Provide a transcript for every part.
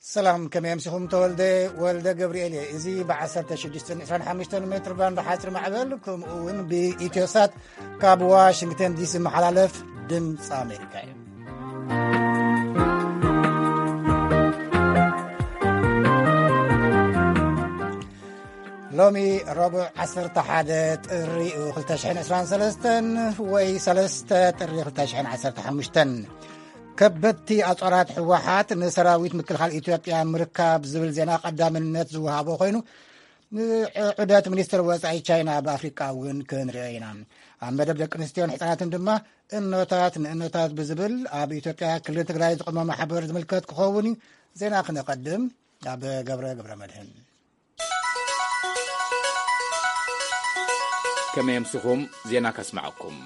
ሰላም፣ ከመይ ኣምሲኹም? ተወልደ ወልደ ገብርኤል እየ። እዚ ብ1625 ሜትር ባንድ ሓፂር ማዕበል፣ ከምኡ እውን ብኢትዮሳት ካብ ዋሽንግተን ዲሲ መሓላለፍ ድምፂ ኣሜሪካ እዩ። ሎሚ ረቡዕ 11 ጥሪ 2023 ወይ 3 ጥሪ 2015። ከበድቲ ኣጽዋራት ህወሓት ንሰራዊት ምክልኻል ኢትዮጵያ ምርካብ ዝብል ዜና ቀዳምነት ዝወሃቦ ኮይኑ፣ ንዑደት ሚኒስትር ወጻኢ ቻይና ኣብ ኣፍሪቃ እውን ክንሪኦ ኢና። ኣብ መደብ ደቂ ኣንስትዮን ህጻናትን ድማ እኖታት ንእኖታት ብዝብል ኣብ ኢትዮጵያ ክልል ትግራይ ዝቆመ ማሕበር ዝምልከት ክኸውን እዩ። ዜና ክነቐድም፣ ኣብ ገብረ ገብረ መድህን። ከመይ ኣምሲኹም? ዜና ከስምዓኩም።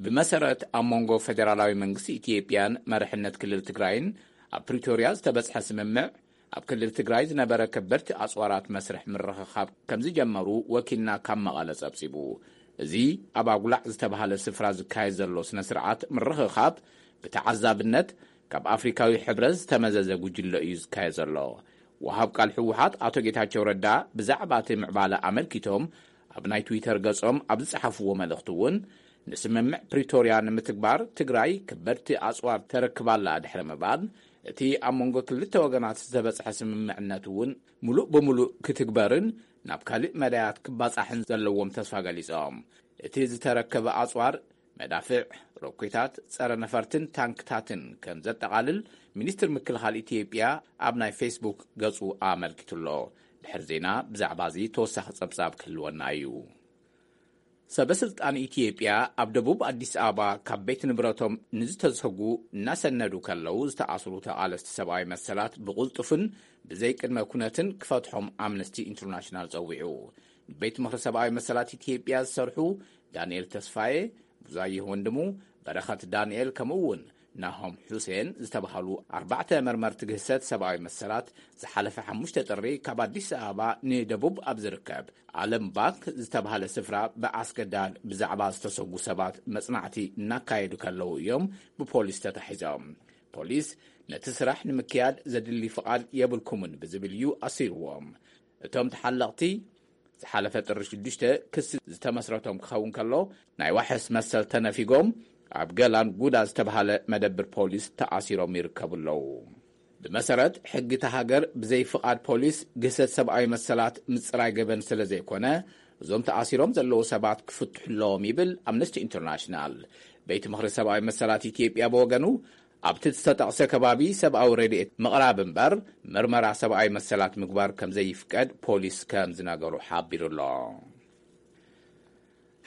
ብመሰረት ኣብ መንጎ ፌደራላዊ መንግስቲ ኢትዮጵያን መርሕነት ክልል ትግራይን ኣብ ፕሪቶርያ ዝተበጽሐ ስምምዕ፣ ኣብ ክልል ትግራይ ዝነበረ ከበድቲ ኣጽዋራት መስርሕ ምርኽኻብ ከም ዝጀመሩ ወኪልና ካብ መቐለ ጸብጺቡ። እዚ ኣብ ኣጉላዕ ዝተባህለ ስፍራ ዝካየድ ዘሎ ስነ ስርዓት ምርኽኻብ ብተዓዛብነት ካብ ኣፍሪካዊ ሕብረት ዝተመዘዘ ጉጅለ እዩ ዝካየድ ዘሎ። ወሃብ ቃል ህወሓት ኣቶ ጌታቸው ረዳ ብዛዕባ እቲ ምዕባለ ኣመልኪቶም ኣብ ናይ ትዊተር ገጾም ኣብ ዝጸሓፍዎ መልእኽቲ እውን፣ ንስምምዕ ፕሪቶርያ ንምትግባር ትግራይ ከበድቲ ኣጽዋር ተረክባላ ድሕሪ ምባል፣ እቲ ኣብ መንጎ ክልተ ወገናት ዝተበጽሐ ስምምዕነት እውን ምሉእ ብምሉእ ክትግበርን ናብ ካልእ መዳያት ክባጻሕን ዘለዎም ተስፋ ገሊጾም። እቲ ዝተረከበ ኣጽዋር መዳፍዕ፣ ሮኬታት፣ ጸረ ነፈርትን ታንክታትን ከም ዘጠቓልል ሚኒስትር ምክልኻል ኢትዮጵያ ኣብ ናይ ፌስቡክ ገጹ ኣመልኪቱ ኣሎ። ድሕሪ ዜና ብዛዕባ እዚ ተወሳኺ ጸብጻብ ክህልወና እዩ። ሰበ ስልጣን ኢትዮጵያ ኣብ ደቡብ ኣዲስ ኣበባ ካብ ቤት ንብረቶም ንዝተሰጉ እናሰነዱ ከለዉ ዝተኣስሩ ተቓለስቲ ሰብኣዊ መሰላት ብቕልጡፍን ብዘይቅድመ ኩነትን ክፈትሖም ኣምነስቲ ኢንተርናሽናል ጸዊዑ። ቤት ምኽሪ ሰብኣዊ መሰላት ኢትዮጵያ ዝሰርሑ ዳንኤል ተስፋዬ፣ ብዙኣየሁ ወንድሙ፣ በረኸት ዳንኤል፣ ከምኡ እውን ናሆም ሑሴን ዝተባህሉ ኣርባዕተ መርመርቲ ግህሰት ሰብኣዊ መሰላት ዝሓለፈ ሓሙሽተ ጥሪ ካብ ኣዲስ ኣበባ ንደቡብ ኣብ ዝርከብ ዓለም ባንክ ዝተባህለ ስፍራ ብኣስገዳድ ብዛዕባ ዝተሰጉ ሰባት መጽናዕቲ እናካየዱ ከለዉ እዮም ብፖሊስ ተታሒዞም። ፖሊስ ነቲ ስራሕ ንምክያድ ዘድሊ ፍቓድ የብልኩምን ብዝብል እዩ ኣሲርዎም። እቶም ተሓለቕቲ ዝሓለፈ ጥሪ ሽዱሽተ ክሲ ዝተመስረቶም ክኸውን ከሎ፣ ናይ ዋሕስ መሰል ተነፊጎም ኣብ ገላን ጉዳ ዝተባህለ መደብር ፖሊስ ተኣሲሮም ይርከቡ ኣለዉ። ብመሰረት ሕጊ እታ ሃገር፣ ብዘይ ፍቓድ ፖሊስ ግህሰት ሰብኣዊ መሰላት ምጽራይ ገበን ስለ ዘይኮነ፣ እዞም ተኣሲሮም ዘለዉ ሰባት ክፍትሑ ኣለዎም ይብል ኣምነስቲ ኢንተርናሽናል። ቤት ምኽሪ ሰብኣዊ መሰላት ኢትዮጵያ ብወገኑ፣ ኣብቲ ዝተጠቕሰ ከባቢ ሰብኣዊ ረድኤት ምቕራብ እምበር፣ ምርመራ ሰብኣዊ መሰላት ምግባር ከም ዘይፍቀድ ፖሊስ ከም ዝነገሩ ሓቢሩ ኣሎ።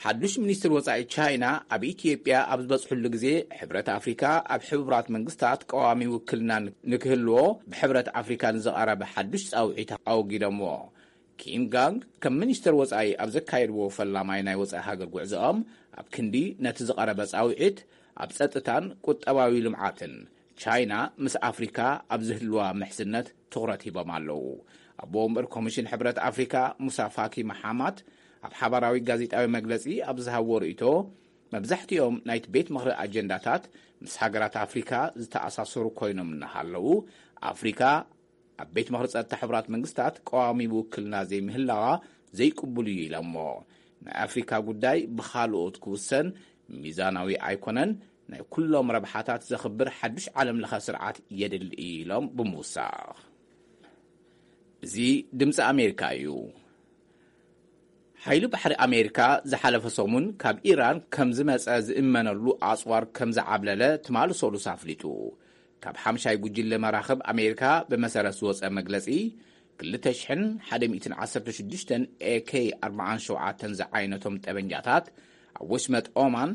ሓዱሽ ሚኒስትር ወጻኢ ቻይና ኣብ ኢትዮጵያ ኣብ ዝበጽሕሉ ግዜ፣ ሕብረት ኣፍሪካ ኣብ ሕቡራት መንግስታት ቀዋሚ ውክልና ንክህልዎ ብሕብረት ኣፍሪካ ንዝቐረበ ሓዱሽ ጻውዒት ኣወጊዶምዎ። ኪም ጋንግ ከም ሚኒስትር ወጻኢ ኣብ ዘካየድዎ ፈላማይ ናይ ወጻኢ ሃገር ጉዕዞኦም፣ ኣብ ክንዲ ነቲ ዝቐረበ ጻውዒት፣ ኣብ ጸጥታን ቁጠባዊ ልምዓትን ቻይና ምስ ኣፍሪካ ኣብ ዝህልዋ ምሕዝነት ትኹረት ሂቦም ኣለዉ። ኣቦ ወንበር ኮሚሽን ሕብረት ኣፍሪካ ሙሳ ፋኪ መሓማት ኣብ ሓባራዊ ጋዜጣዊ መግለጺ ኣብ ዝሃብዎ ርእይቶ፣ መብዛሕትኦም ናይቲ ቤት ምኽሪ ኣጀንዳታት ምስ ሃገራት ኣፍሪካ ዝተኣሳሰሩ ኮይኖም እናሃለዉ፣ ኣፍሪካ ኣብ ቤት ምኽሪ ጸጥታ ሕቡራት መንግስታት ቀዋሚ ውክልና ዘይምህላዋ ዘይቅቡል እዩ ኢሎሞ። ናይ ኣፍሪካ ጉዳይ ብኻልኦት ክውሰን ሚዛናዊ ኣይኮነን፣ ናይ ኩሎም ረብሓታት ዘኽብር ሓዱሽ ዓለም ለኸ ስርዓት የድሊ እዩ ኢሎም ብምውሳኽ። እዚ ድምፂ ኣሜሪካ እዩ። ሓይሊ ባሕሪ ኣሜሪካ ዝሓለፈ ሰሙን ካብ ኢራን ከም ዝመጸ ዝእመነሉ ኣጽዋር ከም ዝዓብለለ ትማሊ ሰሉስ ኣፍሊጡ። ካብ ሓምሻይ ጉጅለ መራኽብ ኣሜሪካ ብመሰረት ዝወጸ መግለጺ፣ ክልተ ሽሕን ሓደ ሚእትን ዓሰርተ ሽዱሽተን ኤ ኬ ኣርባዓን ሸውዓተን ዝዓይነቶም ጠበንጃታት ኣብ ወሽመጥ ኦማን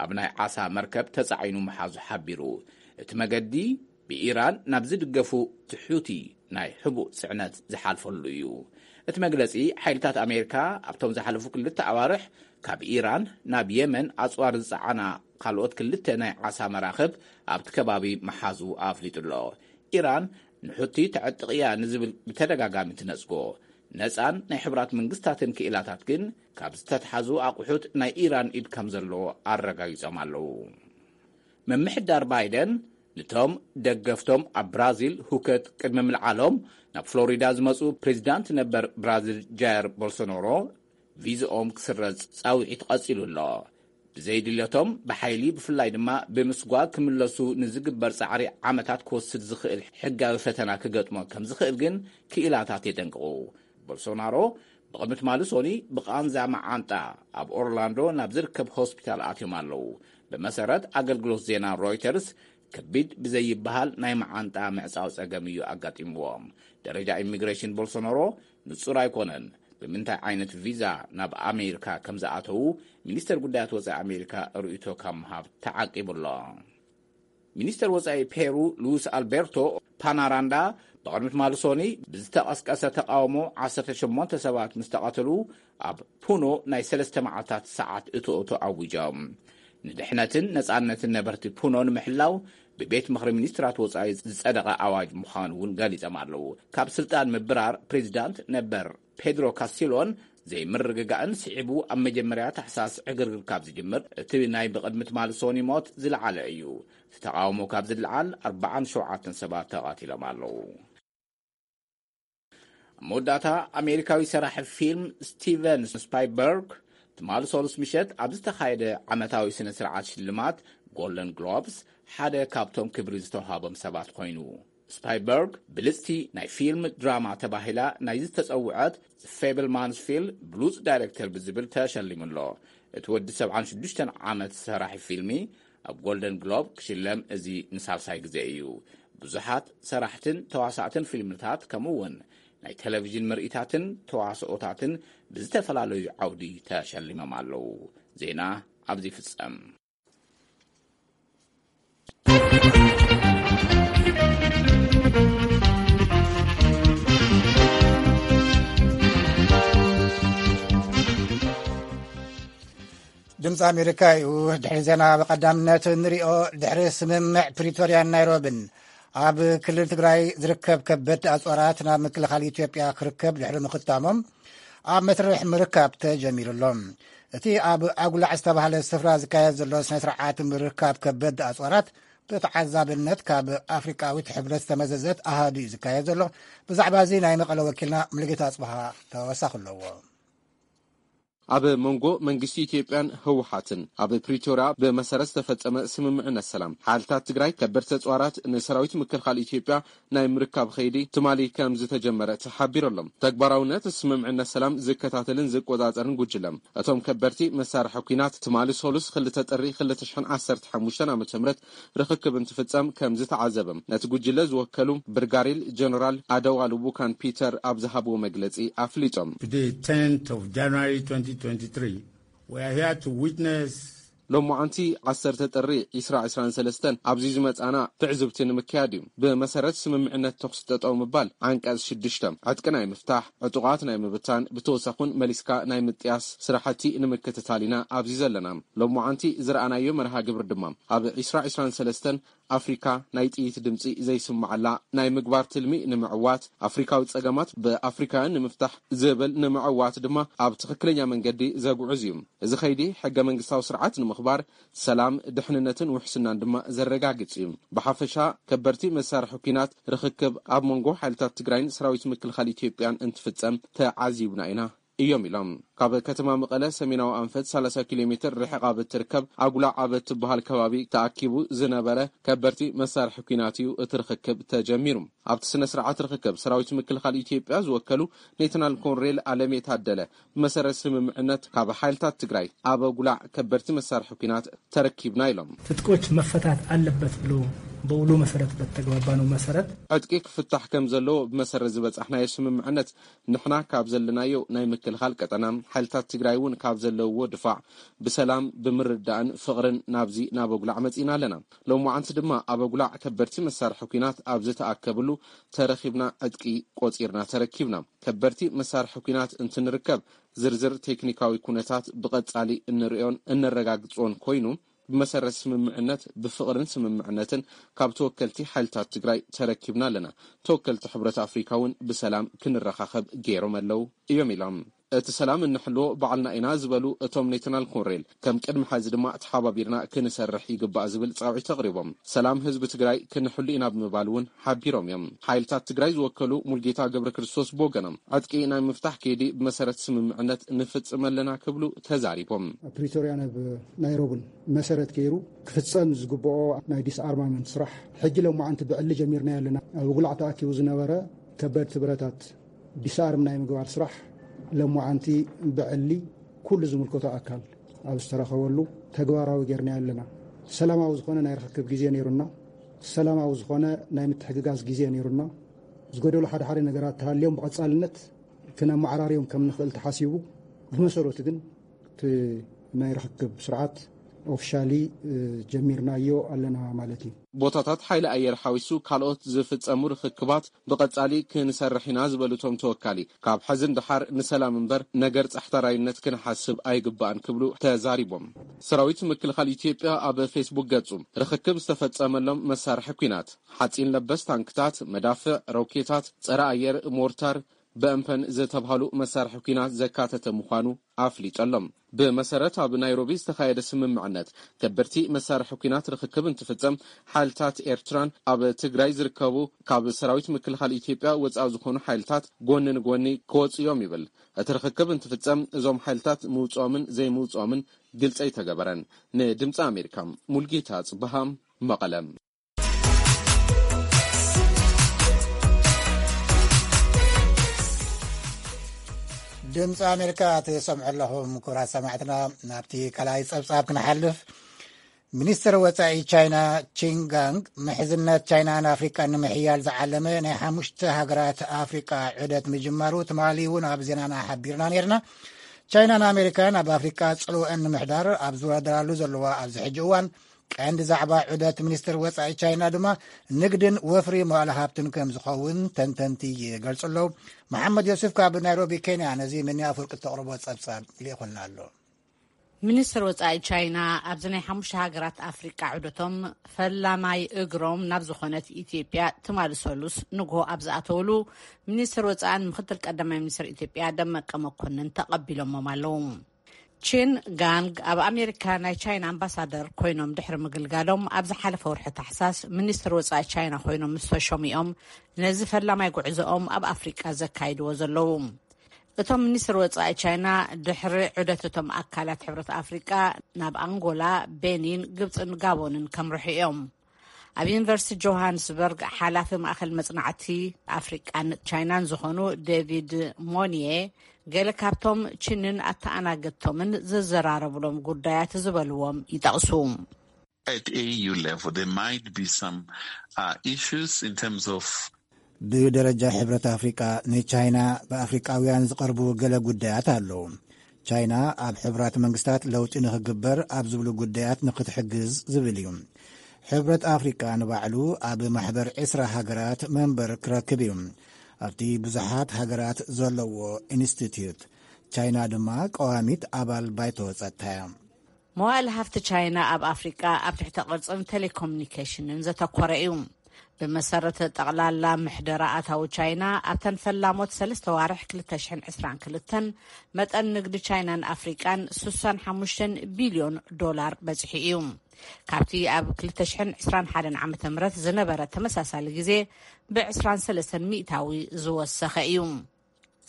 ኣብ ናይ ዓሳ መርከብ ተጻዒኑ ምሓዙ ሓቢሩ። እቲ መገዲ ብኢራን ናብ ዝድገፉ ትሑቲ ናይ ሕቡእ ጽዕነት ዝሓልፈሉ እዩ። እቲ መግለጺ፣ ሓይልታት ኣሜሪካ ኣብቶም ዝሓለፉ ክልተ ኣዋርሕ ካብ ኢራን ናብ የመን ኣጽዋር ዝጸዓና ካልኦት ክልተ ናይ ዓሳ መራኽብ ኣብቲ ከባቢ ምሓዙ ኣፍሊጡ ኣሎ። ኢራን ንሑቲ ተዕጥቕ እያ ንዝብል ብተደጋጋሚ ትነጽጎ፣ ነጻን ናይ ሕቡራት መንግስታትን ክኢላታት ግን ካብ ዝተትሓዙ ኣቑሑት ናይ ኢራን ኢድ ከም ዘለዎ ኣረጋጊጾም ኣለዉ። ምምሕዳር ባይደን ንቶም ደገፍቶም ኣብ ብራዚል ሁከት ቅድሚ ምልዓሎም ናብ ፍሎሪዳ ዝመጹ ፕሬዚዳንት ነበር ብራዚል ጃየር ቦልሶኖሮ ቪዝኦም ክስረዝ ጻውዒት ቀጺሉ ኣሎ። ብዘይድልዮቶም ብሓይሊ ብፍላይ ድማ ብምስጓግ ክምለሱ ንዝግበር ጻዕሪ ዓመታት ክወስድ ዝኽእል ሕጋዊ ፈተና ክገጥሞ ከም ዝኽእል ግን ክኢላታት የጠንቅቑ። ቦልሶናሮ ብቕድሚ ትማሊ ሶኒ ብቓንዛ መዓንጣ ኣብ ኦርላንዶ ናብ ዝርከብ ሆስፒታል ኣትዮም ኣለዉ። ብመሰረት ኣገልግሎት ዜና ሮይተርስ ከቢድ ብዘይበሃል ናይ መዓንጣ ምዕጻው ጸገም እዩ ኣጋጢምዎም። ደረጃ ኢሚግሬሽን ቦልሶናሮ ንጹር ኣይኮነን። ብምንታይ ዓይነት ቪዛ ናብ ኣሜሪካ ከም ዝኣተዉ ሚኒስተር ጉዳያት ወጻኢ ኣሜሪካ ርእይቶ ካብ ምሃብ ተዓቂቡ ኣሎ። ሚኒስተር ወጻኢ ፔሩ ሉዊስ ኣልቤርቶ ፓናራንዳ ብቕድሚ ትማሊ ሶኒ ብዝተቐስቀሰ ተቃውሞ ዓሰርተ ሸሞንተ ሰባት ምስ ተቐተሉ ኣብ ፑኖ ናይ ሰለስተ መዓልታት ሰዓት እቶ እቶ ኣዊጆም። ንድሕነትን ነጻነትን ነበርቲ ፑኖ ንምሕላው ብቤት ምኽሪ ሚኒስትራት ወጻኢ ዝጸደቐ ኣዋጅ ምዃኑ እውን ገሊጾም ኣለዉ። ካብ ስልጣን ምብራር ፕሬዚዳንት ነበር ፔድሮ ካስቲሎን ዘይምርግጋእን ስዒቡ ኣብ መጀመርያ ታሕሳስ ዕግርግር ካብ ዝጅምር እቲ ናይ ብቕድሚ ትማሊ ሶኒ ሞት ዝለዓለ እዩ። እቲ ተቓውሞ ካብ ዝለዓል ኣርባዓን ሸውዓተን ሰባት ተቓቲሎም ኣለዉ። ኣብ መወዳእታ ኣሜሪካዊ ሰራሒ ፊልም ስቲቨን ስፓይበርግ ትማሊ ሰሉስ ምሸት ኣብ ዝተኻየደ ዓመታዊ ስነ ስርዓት ሽልማት ጎልደን ግሎብስ ሓደ ካብቶም ክብሪ ዝተውሃቦም ሰባት ኮይኑ። ስፓይበርግ ብልጽቲ ናይ ፊልም ድራማ ተባሂላ ናይ ዝተጸውዐት ፌብል ማንስፊል ብሉጽ ዳይሬክተር ብዝብል ተሸሊሙ ኣሎ። እቲ ወዲ ሰብዓን ሽዱሽተን ዓመት ሰራሒ ፊልሚ ኣብ ጎልደን ግሎብ ክሽለም እዚ ንሳልሳይ ግዜ እዩ። ብዙሓት ሰራሕትን ተዋሳእትን ፊልምታት ከምኡ እውን ናይ ቴሌቪዥን ምርኢታትን ተዋስኦታትን ብዝተፈላለዩ ዓውዲ ተሸሊሞም ኣለዉ። ዜና ኣብዚ ይፍጸም። ድምፂ ኣሜሪካ እዩ። ድሕሪ ዜና ብቐዳምነት ንሪኦ። ድሕሪ ስምምዕ ፕሪቶርያን ናይሮብን ኣብ ክልል ትግራይ ዝርከብ ከበድ ኣፅዋራት ናብ ምክልኻል ኢትዮጵያ ክርከብ ድሕሪ ምኽታሞም ኣብ መስርሕ ምርካብ ተጀሚሩ ኣሎ። እቲ ኣብ ኣጉላዕ ዝተባህለ ስፍራ ዝካየድ ዘሎ ስነ ስርዓት ምርካብ ከበድ ኣፅዋራት ብተዓዛብነት ካብ ኣፍሪቃዊት ሕብረት ዝተመዘዘት ኣሃዱ እዩ ዝካየድ ዘሎ። ብዛዕባ እዚ ናይ መቐለ ወኪልና ሙሉጌታ ኣፅበሃ ተወሳኺ ኣለዎ። ኣብ መንጎ መንግስቲ ኢትዮጵያን ህወሓትን ኣብ ፕሪቶርያ ብመሰረት ዝተፈጸመ ስምምዕነት ሰላም ሓይልታት ትግራይ ከበድቲ ኣፅዋራት ንሰራዊት ምክልኻል ኢትዮጵያ ናይ ምርካብ ኸይዲ ትማሊ ከም ዝተጀመረ ተሓቢሩ ኣሎ። ተግባራውነት ስምምዕነት ሰላም ዝከታተልን ዝቆጻጸርን ጉጅለ እቶም ከበድቲ መሳርሒ ኲናት ትማሊ ሰሉስ ክልተ ጥሪ ክልተ ሽሕን ዓሰርተ ሓሙሽተን ዓመተ ምህረት ርኽክብ እንትፍጸም ከም ዝተዓዘበ ነቲ ጉጅለ ዝወከሉ ብርጋዴር ጀነራል ኣደዋ ልቡካን ፒተር ኣብ ዝሃብዎ መግለጺ ኣፍሊጦም። Today, tenth of January twenty twenty-three, we are here to witness ሎማዓንቲ ዓሰርተ ጥሪ ዕስራ ዕስራን ሰለስተን ኣብዚ ዝመጻና ትዕዝብቲ ንምክያድ እዩ። ብመሰረት ስምምዕነት ተኹሲ ጠጠው ምባል ዓንቀጽ ሽዱሽተ ዕጥቂ ናይ ምፍታሕ፣ ዕጡቓት ናይ ምብታን፣ ብተወሳኹን መሊስካ ናይ ምጥያስ ስራሕቲ ንምክትታል ኢና ኣብዚ ዘለና። ሎማዓንቲ ዝረኣናዮ መርሃ ግብሪ ድማ ኣብ ዕስራ ዕስራን ሰለስተን ኣፍሪካ ናይ ጥይት ድምፂ ዘይስማዓላ ናይ ምግባር ትልሚ ንምዕዋት፣ ኣፍሪካዊ ፀገማት ብኣፍሪካውያን ንምፍታሕ ዝብል ንምዕዋት ድማ ኣብ ትኽክለኛ መንገዲ ዘጉዕዝ እዩ። እዚ ኸይዲ ሕገ መንግስታዊ ስርዓት ንምኽባር፣ ሰላም፣ ድሕንነትን ውሕስናን ድማ ዘረጋግጽ እዩ። ብሓፈሻ ከበድቲ መሳርሒ ኲናት ርኽክብ ኣብ መንጎ ሓይልታት ትግራይን ሰራዊት ምክልኻል ኢትዮጵያን እንትፍጸም ተዓዚብና ኢና እዮም ኢሎም። ካብ ከተማ መቐለ ሰሜናዊ ኣንፈት ሰላሳ ኪሎ ሜትር ርሕቕ ኣብ እትርከብ ኣጉላዕ ኣብ እትበሃል ከባቢ ተኣኪቡ ዝነበረ ከበድቲ መሳርሒ ኲናት እዩ እቲ ርኽክብ ተጀሚሩ። ኣብቲ ስነ ስርዓት ርኽክብ ሰራዊት ምክልኻል ኢትዮጵያ ዝወከሉ ሌተናል ኮሎኔል ኣለሜ ታደለ ብመሰረት ስምምዕነት ካብ ሓይልታት ትግራይ ኣብ ኣጉላዕ ከበድቲ መሳርሒ ኲናት ተረኪብና ኢሎም። ትጥቆች መፈታት አለበት ብሎ በውሉ መሰረት በተግባባነው መሰረት ዕጥቂ ክፍታሕ ከም ዘለዎ ብመሰረት ዝበጻሕናዮ ስምምዕነት ንሕና ካብ ዘለናዮ ናይ ምክልኻል ቀጠና፣ ሓይልታት ትግራይ እውን ካብ ዘለውዎ ድፋዕ ብሰላም ብምርዳእን ፍቕርን ናብዚ ናብ ኣጉላዕ መጺእና ኣለና። ሎማዓንቲ ድማ ኣብ ኣጉላዕ ከበድቲ መሳርሒ ኲናት ኣብ ዝተኣከብሉ ተረኺብና ዕጥቂ ቆጺርና ተረኪብና። ከበድቲ መሳርሒ ኲናት እንትንርከብ ዝርዝር ቴክኒካዊ ኩነታት ብቐጻሊ እንርእዮን እነረጋግጾን ኮይኑ፣ ብመሰረት ስምምዕነት ብፍቕርን ስምምዕነትን ካብ ተወከልቲ ሓይልታት ትግራይ ተረኪብና ኣለና። ተወከልቲ ሕብረት ኣፍሪካ እውን ብሰላም ክንረኻኸብ ገይሮም ኣለዉ እዮም ኢሎም። እቲ ሰላም እንሕልዎ ባዕልና ኢና ዝበሉ እቶም ሌተናል ኮሎኔል፣ ከም ቅድሚ ሐዚ ድማ ተሓባቢርና ክንሰርሕ ይግባእ ዝብል ፃውዒት ኣቕሪቦም። ሰላም ህዝቢ ትግራይ ክንሕሉ ኢና ብምባል እውን ሓቢሮም እዮም። ሓይልታት ትግራይ ዝወከሉ ሙልጌታ ገብረ ክርስቶስ ብወገኖም፣ ዕጥቂ ናይ ምፍታሕ ከይዲ ብመሰረት ስምምዕነት ንፍፅም ኣለና ክብሉ ተዛሪቦም። ኣብ ፕሪቶርያ ናብ ናይሮብን መሰረት ገይሩ ክፍፀም ዝግብኦ ናይ ዲስኣርማመንት ስራሕ ሕጂ ለማዓንቲ ብዕሊ ጀሚርና ኣለና። ኣብ ጉላዕ ተኣኪቡ ዝነበረ ከበድቲ ብረታት ዲስኣርም ናይ ምግባር ስራሕ ለማዓንቲ ብዕሊ ኩሉ ዝምልከቶ ኣካል ኣብ ዝተረኸበሉ ተግባራዊ ጌርና ኣለና። ሰላማዊ ዝኾነ ናይ ርኽክብ ግዜ ነይሩና። ሰላማዊ ዝኾነ ናይ ምትሕግጋዝ ግዜ ነይሩና። ዝጎደሉ ሓደ ሓደ ነገራት ተሃልዮም ብቐጻልነት ክነመዓራርዮም ከም ንኽእል ተሓሲቡ፣ ብመሰረቱ ግን እቲ ናይ ርኽክብ ስርዓት ኦፊሻሊ ጀሚርናዮ ኣለና ማለት እዩ። ቦታታት ሓይሊ ኣየር ሓዊሱ ካልኦት ዝፍጸሙ ርኽክባት ብቐጻሊ ክንሰርሕ ኢና ዝበሉ እቶም ተወካሊ፣ ካብ ሕዚ ንደሓር ንሰላም እምበር ነገር ጻሕታራይነት ክንሓስብ ኣይግባእን ክብሉ ተዛሪቦም። ሰራዊት ምክልኻል ኢትዮጵያ ኣብ ፌስቡክ ገጹ፣ ርኽክብ ዝተፈጸመሎም መሳርሒ ኲናት፣ ሓጺን ለበስ ታንክታት፣ መዳፍዕ፣ ሮኬታት፣ ጸረ ኣየር ሞርታር፣ በእምፐን ዝተብሃሉ መሳርሒ ኲናት ዘካተተ ምዃኑ ኣፍሊጡ ኣሎ። ብመሰረት ኣብ ናይሮቢ ዝተኻየደ ስምምዕነት፣ ከበድቲ መሳርሒ ኲናት ርኽክብ እንትፍጸም፣ ሓይልታት ኤርትራን ኣብ ትግራይ ዝርከቡ ካብ ሰራዊት ምክልኻል ኢትዮጵያ ወጻኢ ዝኾኑ ሓይልታት ጎኒ ንጎኒ ክወጹ እዮም ይብል። እቲ ርኽክብ እንትፍጸም፣ እዞም ሓይልታት ምውጽኦምን ዘይምውጽኦምን ግልጺ ኣይተገበረን። ንድምጺ ኣሜሪካ፣ ሙልጌታ ጽበሃ፣ መቐለ። ድምፂ ኣሜሪካ ትሰምዑ ኣለኹም። ክቡራት ሰማዕትና፣ ናብቲ ካልኣይ ፀብፃብ ክንሓልፍ፣ ሚኒስትር ወፃኢ ቻይና ቺን ጋንግ፣ ምሕዝነት ቻይናን ኣፍሪቃን ንምሕያል ዝዓለመ ናይ ሓሙሽተ ሃገራት ኣፍሪቃ ዑደት ምጅማሩ ትማሊ እውን ኣብ ዜናና ሓቢርና ነይርና። ቻይናን ኣሜሪካን ኣብ ኣፍሪቃ ፅልወአን ንምሕዳር ኣብ ዝወዳደራሉ ዘለዋ ኣብዚ ሕጂ እዋን፣ ቀንዲ ዛዕባ ዑደት ሚኒስትር ወፃኢ ቻይና ድማ ንግድን ወፍሪ መዋእለ ሃብትን ከም ዝኸውን ተንተንቲ ይገልጹ ኣለዉ። መሓመድ ዮሱፍ ካብ ናይሮቢ ኬንያ ነዚ ምንያ ኣፍወርቂ እተቕርቦ ጸብጻብ ልኢኹልና ኣሎ። ሚኒስትር ወፃኢ ቻይና ኣብዚ ናይ ሓሙሽተ ሃገራት ኣፍሪቃ ዑደቶም፣ ፈላማይ እግሮም ናብ ዝኾነት ኢትዮጵያ ትማሊ ሰሉስ ንግሆ ኣብ ዝኣተውሉ፣ ሚኒስትር ወፃእን ምክትል ቀዳማይ ሚኒስትር ኢትዮጵያ ደመቀ መኮንን ተቐቢሎሞም ኣለዉ። ቺን ጋንግ ኣብ ኣሜሪካ ናይ ቻይና ኣምባሳደር ኮይኖም ድሕሪ ምግልጋሎም፣ ኣብ ዝሓለፈ ወርሒ ታሕሳስ ሚኒስትር ወፃኢ ቻይና ኮይኖም ምስ ተሾሙ እዮም ነዚ ፈላማይ ጉዕዞኦም ኣብ ኣፍሪቃ ዘካይድዎ ዘለዉ። እቶም ሚኒስትር ወፃኢ ቻይና፣ ድሕሪ ዑደት እቶም ኣካላት ሕብረት ኣፍሪቃ ናብ ኣንጎላ፣ ቤኒን፣ ግብፅን ጋቦንን ከምርሑ እዮም። ኣብ ዩኒቨርሲቲ ጆሃንስበርግ ሓላፊ ማእኸል መፅናዕቲ ኣፍሪቃን ቻይናን ዝኾኑ ዴቪድ ሞኒየ፣ ገለ ካብቶም ቺንን ኣተኣናገድቶምን ዝዘራረብሎም ጉዳያት ዝበልዎም ይጠቕሱ። At A U level, there might be some uh, issues in terms of ብደረጃ ሕብረት ኣፍሪቃ፣ ንቻይና ብኣፍሪቃውያን ዝቐርቡ ገለ ጉዳያት ኣለዉ። ቻይና ኣብ ሕቡራት መንግስታት ለውጢ ንኽግበር ኣብ ዝብሉ ጉዳያት ንኽትሕግዝ ዝብል እዩ። ሕብረት ኣፍሪቃ ንባዕሉ ኣብ ማሕበር ዕስራ ሃገራት መንበር ክረክብ እዩ። ኣብቲ ብዙሓት ሃገራት ዘለዎ ኢንስቲትዩት፣ ቻይና ድማ ቀዋሚት ኣባል ባይቶ ጸጥታ እያ። መዋእል ሃፍቲ ቻይና ኣብ ኣፍሪቃ ኣብ ትሕተ ቅርጽን ቴሌኮሙኒኬሽንን ዘተኮረ እዩ። ብመሰረት ጠቕላላ ምሕደራ ኣታዊ ቻይና፣ ኣብተን ፈላሞት ሰለስተ ዋርሕ ክልተ ሽሕን ዕስራን ክልተን፣ መጠን ንግዲ ቻይናን ኣፍሪቃን ስሳን ሓሙሽተን ቢልዮን ዶላር በጺሑ እዩ። ካብቲ ኣብ ክልተ ሽሕን ዕስራን ሓደን ዓመተ ምህረት ዝነበረ ተመሳሳሊ ግዜ ብዕስራን ሰለስተን ሚእታዊ ዝወሰኸ እዩ።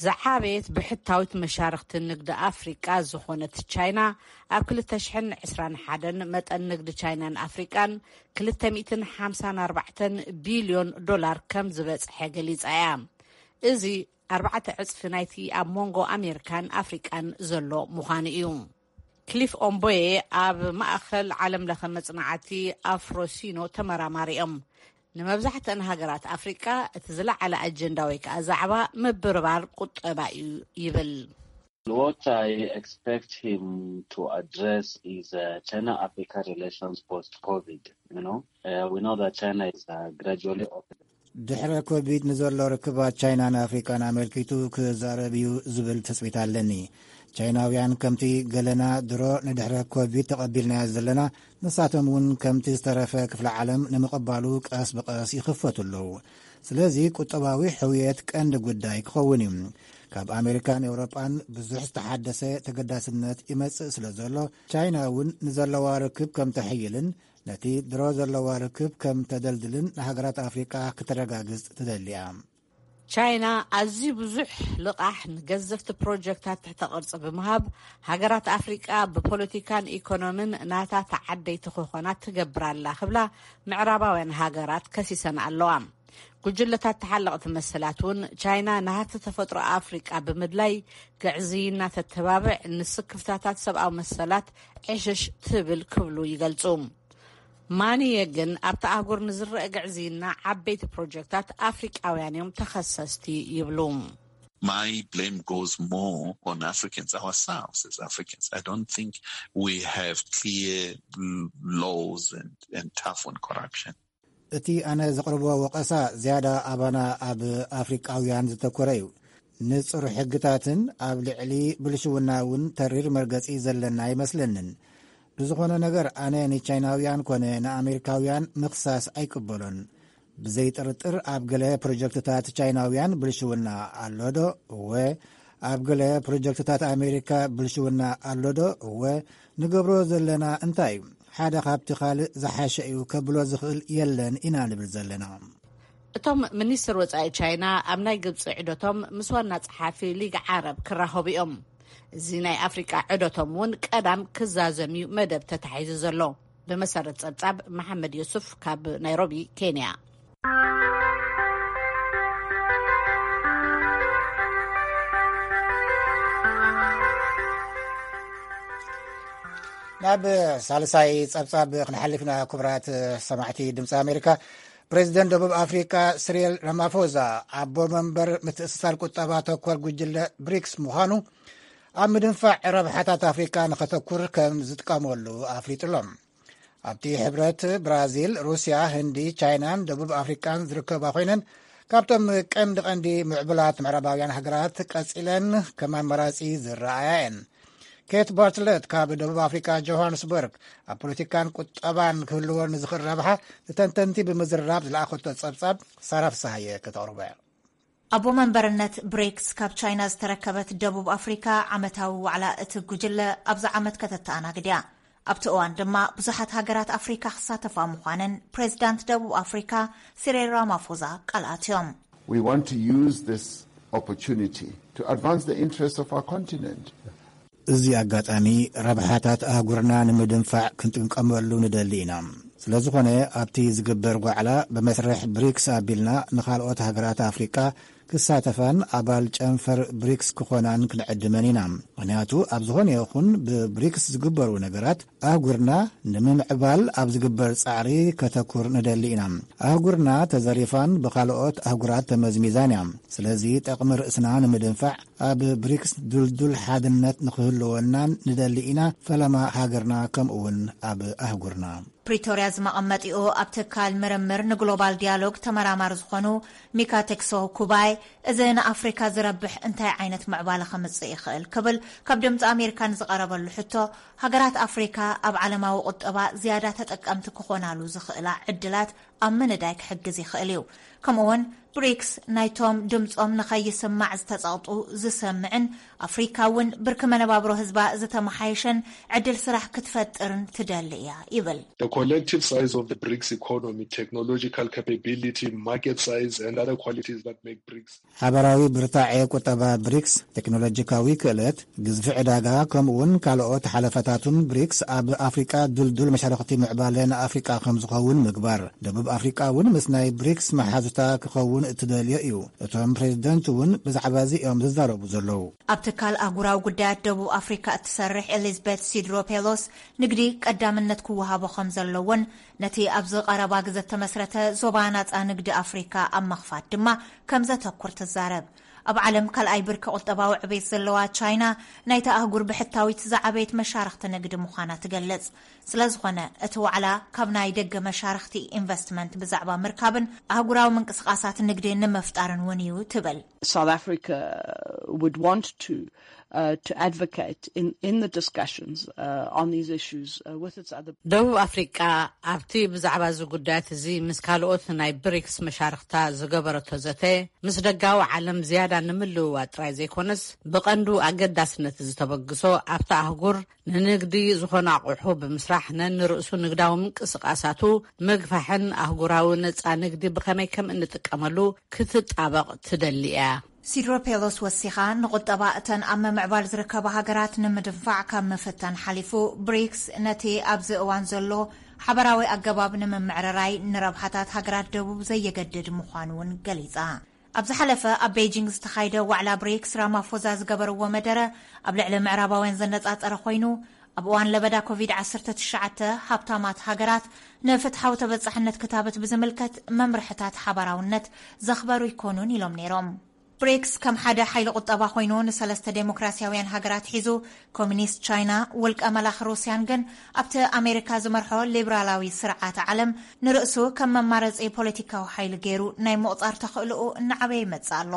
ዝዓበየት ብሕታዊት መሻርኽቲ ንግዲ ኣፍሪቃ ዝኾነት ቻይና፣ ኣብ ክልተ ሽሕን ዕስራን ሓደን መጠን ንግዲ ቻይናን ኣፍሪቃን ክልተ ሚእትን ሓምሳን ኣርባዕተን ቢልዮን ዶላር ከም ዝበጽሐ ገሊጻ እያ። እዚ ኣርባዕተ ዕጽፊ ናይቲ ኣብ መንጎ ኣሜሪካን ኣፍሪቃን ዘሎ ምዃኑ እዩ። ክሊፍ ኦምቦዬ ኣብ ማእኸል ዓለም ለኸ መጽናዕቲ ኣፍሮሲኖ ተመራማሪ እዮም። ንመብዛሕትአን ሃገራት ኣፍሪቃ እቲ ዝለዓለ ኣጀንዳ ወይ ከዓ ዛዕባ ምብርባር ቁጠባ እዩ ይብል። What I expect him to address is uh, China Africa relations post COVID. You know, uh, we know that China is uh, gradually opening. ድሕረ ኮቪድ ንዘሎ ርክባት ቻይናን ኣፍሪቃን ኣመልኪቱ ክዛረብ እዩ ዝብል ትጽቢት ኣለኒ። ቻይናውያን ከምቲ ገለና ድሮ ንድሕረ ኮቪድ ተቐቢልናዮ ዘለና፣ ንሳቶም እውን ከምቲ ዝተረፈ ክፍለ ዓለም ንምቕባሉ ቀስ ብቐስ ይኽፈቱ ኣለዉ። ስለዚ ቁጠባዊ ሕውየት ቀንዲ ጉዳይ ክኸውን እዩ። ካብ ኣሜሪካን ኤውሮጳን ብዙሕ ዝተሓደሰ ተገዳስነት ይመጽእ ስለ ዘሎ፣ ቻይና እውን ንዘለዋ ርክብ ከም ተሕይልን ነቲ ድሮ ዘለዋ ርክብ ከም ተደልድልን ንሃገራት ኣፍሪቃ ክተረጋግጽ ትደሊ እያ። ቻይና ኣዝዩ ብዙሕ ልቓሕ ንገዘፍቲ ፕሮጀክታት ትሕተ ቅርጺ ብምሃብ፣ ሃገራት ኣፍሪቃ ብፖለቲካን ኢኮኖምን ናታ ተዓደይቲ ክኾና ትገብር ኣላ ክብላ ምዕራባውያን ሃገራት ከሲሰን ኣለዋ። ጉጅለታት ተሓለቕቲ መሰላት እውን ቻይና ንሃብቲ ተፈጥሮ ኣፍሪቃ ብምድላይ ግዕዝይና ተተባብዕ፣ ንስክፍታታት ሰብኣዊ መሰላት ዕሽሽ ትብል ክብሉ ይገልጹ። ማንየ ግን ኣብቲ ኣህጉር ንዝረአ ግዕዝይና ዓበይቲ ፕሮጀክታት ኣፍሪቃውያን እዮም ተኸሰስቲ ይብሉ። My blame goes more on Africans ourselves as Africans. I don't think we have clear l- laws and, and tough on corruption. እቲ ኣነ ዘቕርቦ ወቐሳ ዝያዳ ኣባና ኣብ ኣፍሪቃውያን ዝተኮረ እዩ። ንጹር ሕግታትን ኣብ ልዕሊ ብልሽውና እውን ተሪር መርገጺ ዘለና ኣይመስለንን። ብዝኾነ ነገር ኣነ ንቻይናውያን ኮነ ንኣሜሪካውያን ምኽሳስ ኣይቅበሎን። ብዘይጥርጥር ኣብ ገለ ፕሮጀክትታት ቻይናውያን ብልሽውና ኣሎዶ? እወ። ኣብ ገለ ፕሮጀክትታት ኣሜሪካ ብልሽውና ኣሎዶ? እወ። ንገብሮ ዘለና እንታይ እዩ? ሓደ ካብቲ ካልእ ዝሓሸ እዩ ከብሎ ዝኽእል የለን ኢና ንብል ዘለና። እቶም ሚኒስትር ወጻኢ ቻይና ኣብ ናይ ግብጺ ዕደቶም ምስ ዋና ጸሓፊ ሊግ ዓረብ ክራኸቡ እዮም። እዚ ናይ ኣፍሪቃ ዕደቶም እውን ቀዳም ክዛዘም እዩ መደብ ተታሒዙ ዘሎ። ብመሰረት ጸብጻብ መሓመድ ዮሱፍ ካብ ናይሮቢ፣ ኬንያ። ናብ ሳልሳይ ጸብጻብ ክንሓልፍ ኢና። ክቡራት ሰማዕቲ ድምፂ ኣሜሪካ፣ ፕሬዚደንት ደቡብ ኣፍሪካ ስሪል ራማፎዛ ኣቦ መንበር ምትእስሳር ቁጠባ ተኮር ጉጅለ ብሪክስ ምዃኑ፣ ኣብ ምድንፋዕ ረብሓታት ኣፍሪካ ንኸተኩር ከም ዝጥቀመሉ ኣፍሊጡ ኣሎ። ኣብቲ ሕብረት ብራዚል፣ ሩስያ፣ ህንዲ፣ ቻይናን ደቡብ ኣፍሪቃን ዝርከባ ኮይነን፣ ካብቶም ቀንዲ ቀንዲ ምዕቡላት ምዕራባውያን ሃገራት ቀጺለን ከም ኣማራጺ ዝረኣያ እየን። ኬት ባርትለት ካብ ደቡብ ኣፍሪቃ ጆሃንስበርግ፣ ኣብ ፖለቲካን ቁጠባን ክህልዎ ንዝኽእል ረብሓ ንተንተንቲ ብምዝርራብ ዝለኣኸቶ ጸብጻብ ሳራ ፍስሃየ ከተቕርቦ እያ። ኣቦ መንበርነት ብሪክስ ካብ ቻይና ዝተረከበት ደቡብ ኣፍሪካ፣ ዓመታዊ ዋዕላ እቲ ጉጅለ ኣብዚ ዓመት ከተተኣናግድ እያ። ኣብቲ እዋን ድማ ብዙሓት ሃገራት ኣፍሪካ ክሳተፋ ምዃነን ፕሬዚዳንት ደቡብ ኣፍሪካ ሲሪል ራማፎዛ ቃል ኣትዮም። We want to use this opportunity to advance the interests of our continent. እዚ ኣጋጣሚ ረብሓታት ኣህጉርና ንምድንፋዕ ክንጥቀመሉ ንደሊ ኢና። ስለዝኾነ ኣብቲ ዝግበር ጓዕላ ብመስርሕ ብሪክስ ኣቢልና ንኻልኦት ሃገራት ኣፍሪቃ ክሳተፋን ኣባል ጨንፈር ብሪክስ ክኾናን ክንዕድመን ኢና። ምኽንያቱ ኣብ ዝኾነ ይኹን ብብሪክስ ዝግበሩ ነገራት ኣህጉርና ንምምዕባል ኣብ ዝግበር ጻዕሪ ከተኩር ንደሊ ኢና። ኣህጉርና ተዘሪፋን ብኻልኦት ኣህጉራት ተመዝሚዛን እያ። ስለዚ ጠቕሚ ርእስና ንምድንፋዕ ኣብ ብሪክስ ድልዱል ሓድነት ንኽህልወናን ንደሊ ኢና፣ ፈለማ ሃገርና ከምኡውን ኣብ ኣህጉርና። ፕሪቶርያ ዝመቐመጢኡ ኣብ ትካል ምርምር ንግሎባል ዲያሎግ ተመራማሪ ዝኾኑ ሚካ ቴክሶ ኩባይ፣ እዚ ንኣፍሪካ ዝረብሕ እንታይ ዓይነት ምዕባለ ከምጽእ ይኽእል ክብል ካብ ድምፂ ኣሜሪካ ንዝቐረበሉ ሕቶ፣ ሃገራት ኣፍሪካ ኣብ ዓለማዊ ቁጠባ ዝያዳ ተጠቀምቲ ክኾናሉ ዝኽእላ ዕድላት ኣብ ምንዳይ ክሕግዝ ይኽእል እዩ። ከምኡውን ብሪክስ ናይቶም ድምፆም ንኸይስማዕ ዝተፀቕጡ ዝሰምዕን ኣፍሪካ እውን ብርኪ መነባብሮ ህዝባ ዝተመሓየሸን ዕድል ስራሕ ክትፈጥርን ትደሊ እያ ይብል። The collective size of the BRICS economy, technological capability, market size, and other qualities that make BRICS ሓበራዊ ብርታዐ ቁጠባ ብሪክስ፣ ቴክኖሎጂካዊ ክእለት፣ ግዝፊ ዕዳጋ፣ ከምኡውን ካልኦት ሓለፋታቱን ብሪክስ ኣብ ኣፍሪቃ ድልዱል መሻርኽቲ ምዕባለ ንኣፍሪቃ ከም ዝኸውን ምግባር። ደቡብ ኣፍሪቃ እውን ምስ ናይ ብሪክስ መሓዙታ ክኸውን እትደልዮ እዩ። እቶም ፕሬዚደንት እውን ብዛዕባ እዚ እዮም ዝዛረቡ ዘለዉ። ኣብ ትካል ኣህጉራዊ ጉዳያት ደቡብ ኣፍሪካ እትሰርሕ ኤሊዝቤት ሲድሮ ፔሎስ፣ ንግዲ ቀዳምነት ክወሃቦ ከም ዘለዎን ነቲ ኣብዚ ቀረባ ግዘ እተመስረተ ዞባ ናጻ ንግዲ ኣፍሪካ ኣብ ምኽፋት ድማ ከም ዘተኩር ትዛረብ። ኣብ ዓለም ካልኣይ ብርኪ ቁጠባዊ ዕቤት ዘለዋ ቻይና፣ ናይታ ኣህጉር ብሕታዊት ዝዓበየት መሻርኽቲ ንግዲ ምዃና ትገልጽ። ስለዝኾነ እቲ ዋዕላ ካብ ናይ ደገ መሻርኽቲ ኢንቨስትመንት ብዛዕባ ምርካብን ኣህጉራዊ ምንቅስቓሳት ንግዲ ንምፍጣርን እውን እዩ ትብል። South Africa would want to uh, to advocate in, in the discussions uh, on these issues uh, with its other ደቡብ ኣፍሪቃ ኣብቲ ብዛዕባ እዚ ጉዳያት እዚ ምስ ካልኦት ናይ ብሪክስ መሻርክታ ዝገበረቶ ዘተ፣ ምስ ደጋዊ ዓለም ዝያዳ ንምልውዋጥ ጥራይ ዘይኮነስ፣ ብቐንዱ ኣገዳስነት እዚ ተበግሶ ኣብታ ኣህጉር ንንግዲ ዝኾኑ ኣቑሑ ብምስራሕ ነንርእሱ ንግዳዊ ምንቅስቓሳቱ ምግፋሕን ኣህጉራዊ ነጻ ንግዲ ብኸመይ ከም እንጥቀመሉ ክትጣበቕ ትደሊ እያ። ሲድሮ ፔሎስ ወሲኻ፣ ንቁጠባ እተን ኣብ ምምዕባል ዝርከባ ሃገራት ንምድንፋዕ ካብ ምፍታን ሓሊፉ፣ ብሪክስ ነቲ ኣብዚ እዋን ዘሎ ሓበራዊ ኣገባብ ንምምዕርራይ ንረብሓታት ሃገራት ደቡብ ዘየገድድ ምዃኑ እውን ገሊጻ። ኣብ ዝሓለፈ ኣብ ቤይጂንግ ዝተኻይደ ዋዕላ ብሪክስ፣ ራማፎዛ ዝገበርዎ መደረ ኣብ ልዕሊ ምዕራባውያን ዘነጻጸረ ኮይኑ፣ ኣብ እዋን ለበዳ ኮቪድ ዓሰርተ ትሽዓተ ሃብታማት ሃገራት ንፍትሓዊ ተበጻሕነት ክታበት ብዝምልከት መምርሕታት ሓባራውነት ዘኽበሩ ኣይኮኑን ኢሎም ነይሮም። ብሪክስ ከም ሓደ ሓይሊ ቁጠባ ኮይኑ ንሰለስተ ዴሞክራሲያውያን ሃገራት ሒዙ፣ ኮሚኒስት ቻይና፣ ውልቀ መላኺ ሩስያን ግን ኣብቲ ኣሜሪካ ዝመርሖ ሊብራላዊ ስርዓት ዓለም ንርእሱ ከም መማረጺ ፖለቲካዊ ሓይሊ ገይሩ ናይ ምቑጻር ተኽእልኡ እናዓበየ ይመጽእ ኣሎ።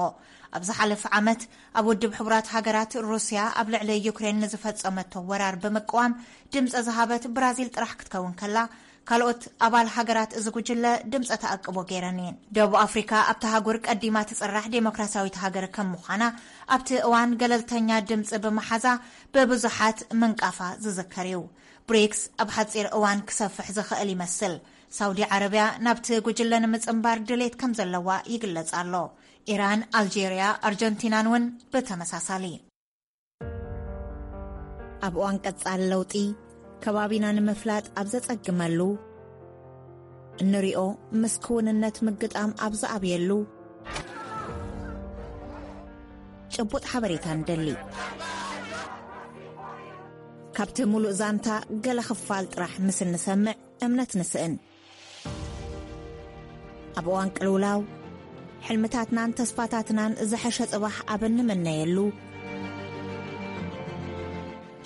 ኣብ ዝሓለፈ ዓመት ኣብ ውድብ ሕቡራት ሃገራት ሩስያ ኣብ ልዕሊ ዩክሬን ንዝፈጸመቶ ወራር ብምቅዋም ድምፂ ዝሃበት ብራዚል ጥራሕ ክትከውን ከላ፣ ካልኦት ኣባል ሃገራት እዚ ጉጅለ ድምፂ ተኣቅቦ ገይረን እየን። ደቡብ ኣፍሪካ ኣብቲ ሃጉር ቀዲማ ትፅራሕ ዴሞክራሲያዊት ሃገር ከም ምዃና፣ ኣብቲ እዋን ገለልተኛ ድምፂ ብምሓዛ ብብዙሓት ምንቃፋ ዝዝከር እዩ። ብሪክስ ኣብ ሓፂር እዋን ክሰፍሕ ዝኽእል ይመስል። ሳውዲ ዓረብያ ናብቲ ጉጅለ ንምፅንባር ድሌት ከም ዘለዋ ይግለጽ ኣሎ። ኢራን፣ ኣልጄርያ፣ ኣርጀንቲናን እውን ብተመሳሳሊ። ኣብ እዋን ቀጻሊ ለውጢ፣ ከባቢና ንምፍላጥ ኣብ ዘጸግመሉ፣ እንሪኦ ምስ ክውንነት ምግጣም ኣብ ዝኣብየሉ፣ ጭቡጥ ሓበሬታ ንደሊ። ካብቲ ሙሉእ ዛንታ ገለ ክፋል ጥራሕ ምስ እንሰምዕ እምነት ንስእን። ኣብ እዋን ቅልውላው፣ ሕልምታትናን ተስፋታትናን ዝሐሸ ጽባሕ ኣብ እንምነየሉ፣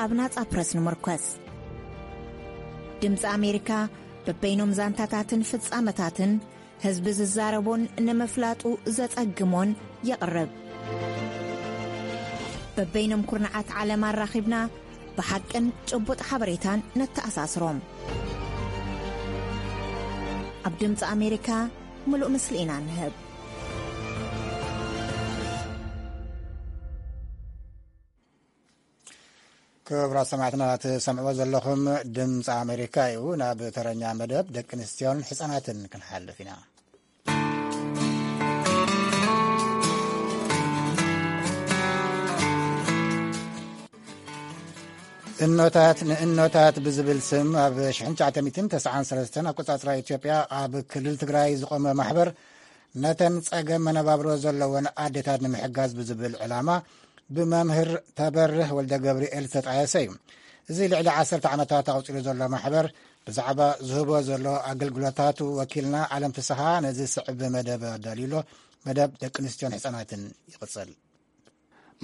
ኣብ ናጻ ፕረስ ንምርኮስ። ድምጺ ኣሜሪካ በበይኖም ዛንታታትን ፍጻመታትን ህዝቢ ዝዛረቦን ንምፍላጡ ዘጸግሞን የቕርብ። በበይኖም ኩርናዓት ዓለም ኣራኺብና ብሓቅን ጭቡጥ ሓበሬታን ነተኣሳስሮም። ኣብ ድምፂ ኣሜሪካ ምሉእ ምስሊ ኢና ንህብ። ክቡራት ሰማዕትና፣ ትሰምዕዎ ዘለኹም ድምፂ ኣሜሪካ እዩ። ናብ ተረኛ መደብ ደቂ ኣንስትዮን ሕፃናትን ክንሓልፍ ኢና። እኖታት ንእኖታት ብዝብል ስም ኣብ ሽሕን ትሽዓተ ሚእትን ተስዓን ሰለስተን ኣቆጻጽራ ኢትዮጵያ ኣብ ክልል ትግራይ ዝቖመ ማሕበር፣ ነተን ጸገም መነባብሮ ዘለወን ኣዴታት ንምሕጋዝ ብዝብል ዕላማ ብመምህር ተበርህ ወልደ ገብርኤል ዝተጣየሰ እዩ። እዚ ልዕሊ ዓሰርተ ዓመታት ኣቑጺሩ ዘሎ ማሕበር፣ ብዛዕባ ዝህቦ ዘሎ ኣገልግሎታቱ ወኪልና ኣለም ፍስሃ ነዚ ዝስዕብ መደብ ኣዳልዩ ኣሎ። መደብ ደቂ ኣንስትዮን ህጻናትን ይቕጽል።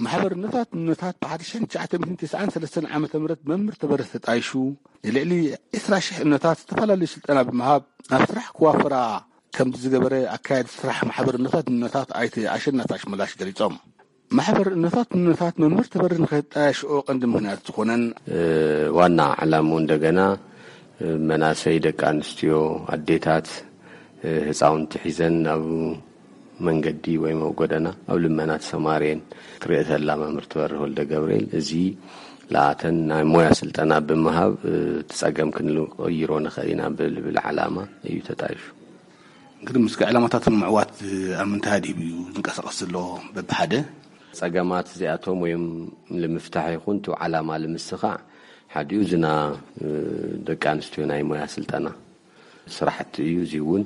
ማሕበር እኖታት ንእኖታት ብሓደ ሽሕን ትሽዓተ ሚእትን ተስዓን ሰለስተን ዓመተ ምህረት መምህር ተበርህ ተጣይሹ፣ ንልዕሊ ዕስራ ሽሕ እኖታት ዝተፈላለዩ ስልጠና ብምሃብ ናብ ስራሕ ክዋፈራ ከም ዝገበረ ኣካያዲ ስራሕ ማሕበር እኖታት ንእኖታት ኣይተ ኣሸናፊ ኣሽመላሽ ገሊጾም። ማሕበር እኖታት ንእኖታት መምህር ተበርህ ንኸጣየሽኦ ቀንዲ ምኽንያት ዝኾነን፣ እ፣ ዋና ዕላምኡ እንደገና፣ እ፣ መናሰይ ደቂ ኣንስትዮ፣ ኣዴታት፣ እ፣ ህፃውንቲ ሒዘን ናብ መንገዲ ወይም ኣብ ጎደና ኣብ ልመና ተሰማርየን ክርእየ ተላ መምህር ትበርህ ወልደ ገብርኤል፣ እዚ ለኣተን ናይ ሞያ ስልጠና ብምሃብ፣ እ፣ እቲ ጸገም ክንቀይሮ ንኽእል ኢና ብልብል ዓላማ እዩ ተጣይሹ። እንግዲህ ምስቲ ዕላማታት ንምዕዋት ኣብ ምንታይ ኣድሂቡ እዩ ዝንቀሳቐስ ዘሎ? በብሓደ ጸገማት እዚኣቶም ወይም ንምፍታሕ ይኹን እቲ ዓላማ ንምስኻዕ ሓዲኡ ዝና፣ እ፣ ደቂ ኣንስትዮ ናይ ሞያ ስልጠና ስራሕቲ እዩ። እዚ እውን፣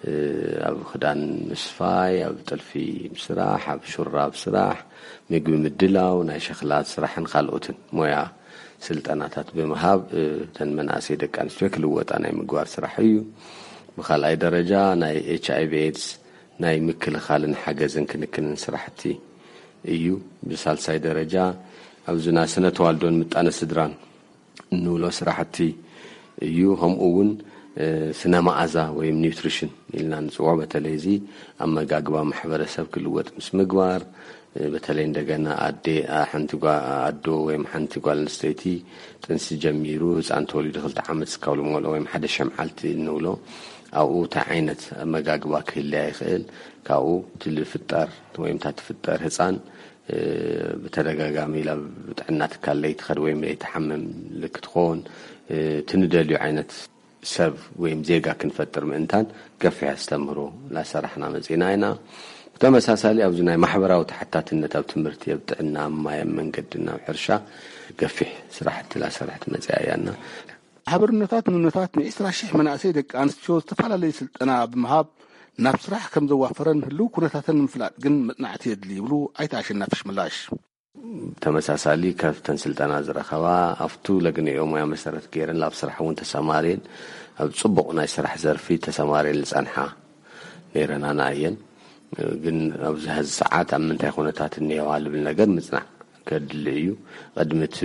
እ፣ ኣብ ክዳን ምስፋይ፣ ኣብ ጥልፊ ምስራሕ፣ ኣብ ሹራብ ስራሕ፣ ምግቢ ምድላው፣ ናይ ሸኽላ ስራሕን ካልኦትን ሞያ ስልጠናታት ብምሃብ፣ እ፣ እተን መናእሰይ ደቂ ኣንስትዮ ክልወጣ ናይ ምግባር ስራሕ እዩ። ብኻልኣይ ደረጃ ናይ ኤች ኣይ ቪ ኤድስ ናይ ምክልኻልን ሓገዝን ክንክንን ስራሕቲ እዩ። ብሳልሳይ ደረጃ ኣብዚ ናይ ስነ ተዋልዶን ምጣነ ስድራን እንብሎ ስራሕቲ እዩ። ከምኡ እውን ስነ መኣዛ ወይም ኒውትሪሽን ኢልና ንፅውዖ፣ በተለይ እዚ ኣመጋግባ ማሕበረሰብ ክልወጥ ምስ ምግባር፣ በተለይ እንደገና ኣዴ ሓንቲ ኣዶ ወይም ሓንቲ ጓል ኣንስተይቲ ጥንሲ ጀሚሩ ህፃን ተወሊዱ ክልተ ዓመት እስካብ ልመልኦ ወይም ሓደ ሸምዓልቲ እንብሎ ኣብኡ እንታይ ዓይነት ኣመጋግባ ክህልያ ይኽእል፣ ካብኡ እቲ ዝፍጠር ወይም እታ ትፍጠር ህፃን ብተደጋጋሚ ናብ ጥዕና ትካል ለይትኸድ ወይም ለይትሓምም ክትኾን፣ እቲ ንደልዩ ዓይነት ሰብ ወይም ዜጋ ክንፈጥር ምእንታን ገፊሕ ኣስተምህሮ ላሰራሕና መጺና ኢና። ብተመሳሳሊ ኣብዚ ናይ ማሕበራዊ ተሓታትነት ኣብ ትምህርቲ፣ ኣብ ጥዕና፣ ኣብ ማይ፣ ኣብ መንገድና፣ ኣብ ሕርሻ ገፊሕ ስራሕቲ ላሰራሕቲ መጺኣ እያና። ማሕበርነታት ንነታት ን20,000 መናእሰይ ደቂ ኣንስትዮ ዝተፈላለዩ ስልጠና ብምሃብ ናብ ስራሕ ከም ዘዋፈረን ህልው ኩነታተን ንምፍላጥ ግን መጽናዕቲ የድሊ ይብሉ ኣይተ ኣሸናፊ ሽምላሽ። ተመሳሳሊ ካብተን ስልጠና ዝረኸባ ኣብቱ ለግንዮ ሙያ መሰረት ገይረን ኣብ ስራሕ እውን ተሰማርየን ኣብ ጽቡቕ ናይ ስራሕ ዘርፊ ተሰማርየን ዝጸንሓ ነይረናና እየን። ግን ኣብዚ ሀዚ ሰዓት ኣብ ምንታይ ኩነታት እኒሄዋ ልብል ነገር ምጽናዕ ከድሊ እዩ። ቅድሚ እቲ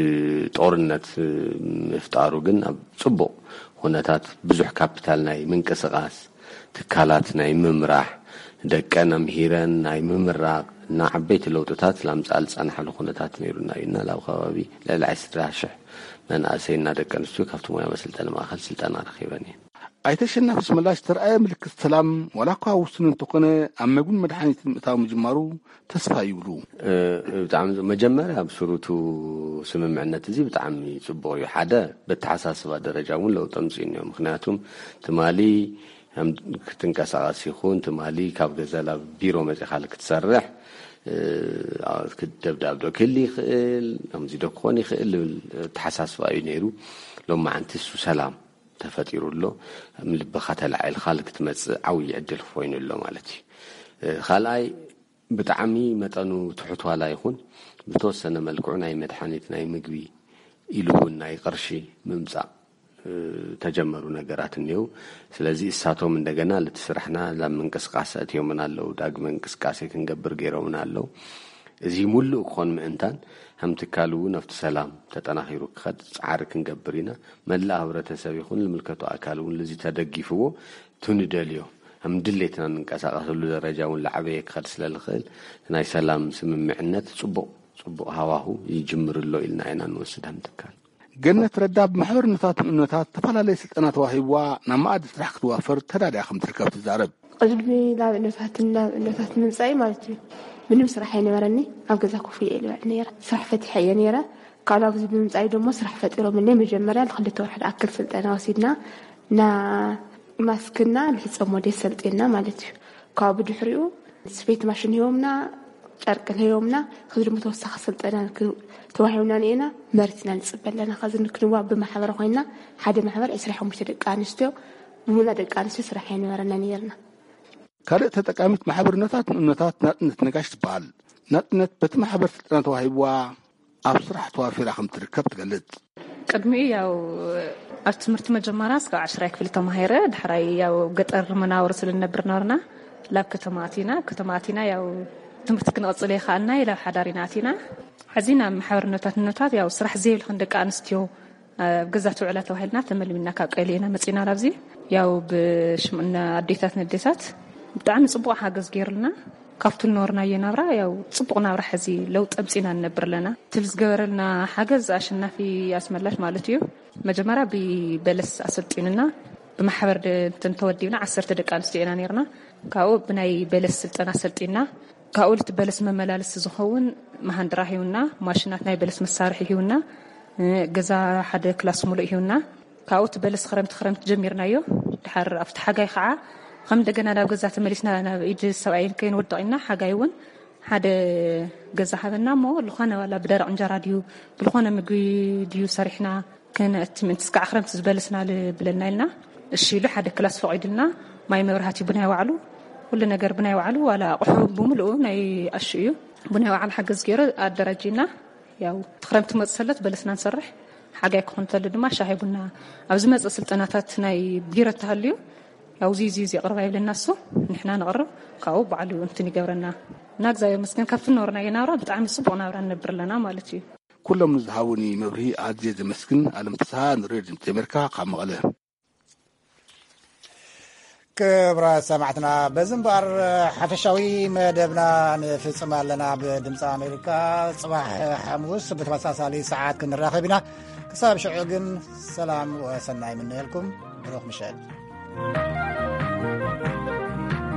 ጦርነት ምፍጣሩ ግን ኣብ ጽቡቕ ኩነታት ብዙሕ ካፒታል ናይ ምንቅስቓስ ትካላት ናይ ምምራሕ፣ ደቀን ኣምሂረን ናይ ምምራቕ እና ዓበይቲ ለውጥታት ላምፅኣ ዝፀናሓሉ ኩነታት ነይሩና እዩ እና ላብ ከባቢ ልዕሊ ዕስራ ሽሕ መናእሰይ እና ደቂ ኣንስትዮ ካብቲ ሙያ መሰልጠኒ ማእኸል ስልጠና ረኺበን እየን። ኣይተ ኣሸናፊ ሽመላሽ ዝተረኣየ ምልክት ሰላም ዋላ እኳ ውሱን እንተኾነ ኣብ መግብን መድሓኒትን ምእታው ምጅማሩ ተስፋ ይብሉ። ብጣዕሚ መጀመርያ ኣብ ስሩቱ ስምምዕነት እዚ ብጣዕሚ ፅቡቕ እዩ። ሓደ በተሓሳስባ ደረጃ እውን ለውጢ ኣምፅኡ እኒኦ። ምክንያቱም ትማሊ ክትንቀሳቐስ ይኹን ትማሊ ካብ ገዛ ናብ ቢሮ መፂኻ ክትሰርሕ ደብዳብ ዶ ክህል ይኽእል፣ ከምዚ ዶ ክኾን ይኽእል ዝብል ተሓሳስባ እዩ ነይሩ። ሎማዓንቲ እሱ ሰላም ተፈጢሩ ኣሎ። ልብኻ ተላዒልካ ክትመፅእ ዓብዪ ዕድል ኮይኑ ኣሎ ማለት እዩ። ካልኣይ ብጣዕሚ መጠኑ ትሑት ዋላ ይኹን ብተወሰነ መልክዑ ናይ መድሓኒት ናይ ምግቢ ኢሉ እውን ናይ ቅርሺ ምምፃእ ተጀመሩ ነገራት እኒው። ስለዚ እሳቶም እንደገና ልቲ ስራሕና ናብ ምንቅስቃሴ እትዮምና ኣለዉ። ዳግመ እንቅስቃሴ ክንገብር ገይሮምና ኣለዉ። እዚ ሙሉእ ክኾን ምእንታን ከም ትካል እውን ኣብቲ ሰላም ተጠናኺሩ ክኸድ ፃዕሪ ክንገብር ኢና። መላእ ህብረተሰብ ይኹን ዝምልከቶ ኣካል እውን ልዚ ተደጊፍዎ ትንደልዮ ከም ድሌትና እንንቀሳቀሰሉ ደረጃ እውን ላዕበየ ክኸድ ስለልኽእል ናይ ሰላም ስምምዕነት ፅቡቕ ፅቡቕ ሃዋሁ ይጅምር ኣሎ ኢልና ኢና ንወስድ ከም ትካል። ገነት ረዳ ብማሕበርነታት ንእነታት ዝተፈላለየ ስልጠና ተዋሂብዋ ናብ መኣዲ ስራሕ ክትዋፈር ተዳልያ ከም ትርከብ ትዛረብ። ቅድሚ ናብ እነታት ናብ እነታት ምምፃይ ማለት እዩ ምንም ስራሕ ኣይነበረኒ። ኣብ ገዛ ኮፍ ኢለ ይልበዕ ነይረ። ስራሕ ፈቲሐ እየ ነይረ። ካልኣብ እዚ ብምምፃይ ደሞ ስራሕ ፈጢሮምለይ። መጀመርያ ንክልተ ወርሒ ዝኣክል ስልጠና ወሲድና ና ማስክና ንሕፀብ ሞዴል ሰልጢና ማለት እዩ። ካብኡ ብድሕሪኡ ስፌት ማሽን ሂቦምና፣ ጨርቂ ሂቦምና። ከዚ ድማ ተወሳኺ ስልጠና ተዋሂብና ነና መሪትና ንፅበ ኣለና። ከዚ ንክንዋ ብማሕበር ኮይና ሓደ ማሕበር ዕስራ ሓሙሽተ ደቂ ኣንስትዮ ብሙላ ደቂ ኣንስትዮ ስራሕ ኣይነበረና ነይርና። ካልእ ተጠቃሚት ማሕበርነታት ንእነታት ናፅነት ነጋሽ ትበሃል። ናፅነት በቲ ማሕበር ስልጠና ተዋሂብዋ ኣብ ስራሕ ተዋፊራ ከም ትርከብ ትገልጽ። ቅድሚኡ ያው ኣብ ትምህርቲ መጀመርያ እስካብ ዓሽራይ ክፍሊ ተማሂረ። ድሕራይ ያው ገጠር መናብር ስለ ንነብር ነበርና፣ ላብ ከተማ ኣቲና። ኣብ ከተማ ኣቲና ያው ትምህርቲ ክንቕጽል የኸኣልና ኢላ ኣብ ሓዳር ኢና ኣቲና። ሕዚ ናብ ማሕበርነታት ንነታት ያው ስራሕ ዘይብልኽን ደቂ ኣንስትዮ ኣብ ገዛ ትውዕላ ተባሂልና ተመልሚልና ካብ ቀይሊ ኢና መጺና ናብዚ። ያው ብሽምና ኣዴታት ነዴታት ብጣዕሚ ጽቡቕ ሓገዝ ገይሩልና። ካብቱ ዝነበርናዮ ናብራ ያው ጽቡቕ ናብራ ሕዚ ለውጢ ኣምጺና ንነብር ኣለና። ትብል ዝገበረልና ሓገዝ ኣሸናፊ ኣስመላሽ ማለት እዩ። መጀመርያ ብበለስ ኣሰልጢኑና ብማሕበር ድ-፣ እንትን ተወዲብና ዓሰርተ ደቂ ኣንስትዮ ኢና ነይርና። ካብኡ ብናይ በለስ ስልጠና ሰልጢና ካብኡ ልቲ በለስ መመላለሲ ዝኸውን መሃንድራ ሂውና፣ ማሽናት ናይ በለስ መሳርሒ ሂውና፣ እ፣ ገዛ ሓደ ክላስ ሙሉእ ሂውና። ካብኡ እቲ በለስ ክረምቲ ክረምቲ ጀሚርናዮ። ድሓር ኣብቲ ሓጋይ ከዓ ከም እንደገና ናብ ገዛ ተመሊስና ናብ ኢድ ሰብኣይን ከይንወድቕ ኢልና ሓጋይ እውን ሓደ ገዛ ሃበና እሞ ልኾነ ዋላ ብደረቕ እንጀራ ድዩ ብልኾነ ምግቢ ድዩ ሰሪሕና ክነእቲ ምእንቲ እስካዕ ክረምቲ ዝበለስና ልብለና ኢልና እሺ ኢሉ ሓደ ክላስ ፈቒዱልና ማይ መብራህቲ ብናይ ባዕሉ ኩሉ ነገር ብናይ ባዕሉ ዋላ ኣቑሑ ብምልኡ ናይ ኣሹ እዩ ብናይ ባዕሉ ሓገዝ ገይሩ ኣደራጂና ያው እቲ ክረምቲ መፅ ሰለት በለስና ንሰርሕ ሓጋይ ክኾን ተሉ ድማ ሻሂ ቡና ኣብ ዝመፅእ ስልጠናታት ናይ ቢሮ ተሃልዩ ያው እዚ እዚ እዚ ኣቕርባ ይብለና እሱ ንሕና ንቕርብ ካብኡ ባዕሉ እንትን ይገብረና እና እግዚኣብሔር መስገን ካብቲ ነበርና የናብራ ብጣዕሚ ፅቡቕ ናብራ ንነብር ኣለና ማለት እዩ። ኩሎም ንዝሃቡኒ መብርሂ ኣዝየ ዘመስግን። ኣለም ፍስሃ ንሬድዮ ድምፂ ኣሜሪካ ካብ መቐለ። ክብራት ሰማዕትና፣ በዚ እምበኣር ሓፈሻዊ መደብና ንፍጽም ኣለና። ብድምፂ ኣሜሪካ ጽባሕ ሓሙስ ብተመሳሳሊ ሰዓት ክንራኸብ ኢና። ክሳብ ሽዑ ግን ሰላም ወሰናይ ምነየልኩም። ብሩኽ ምሸት።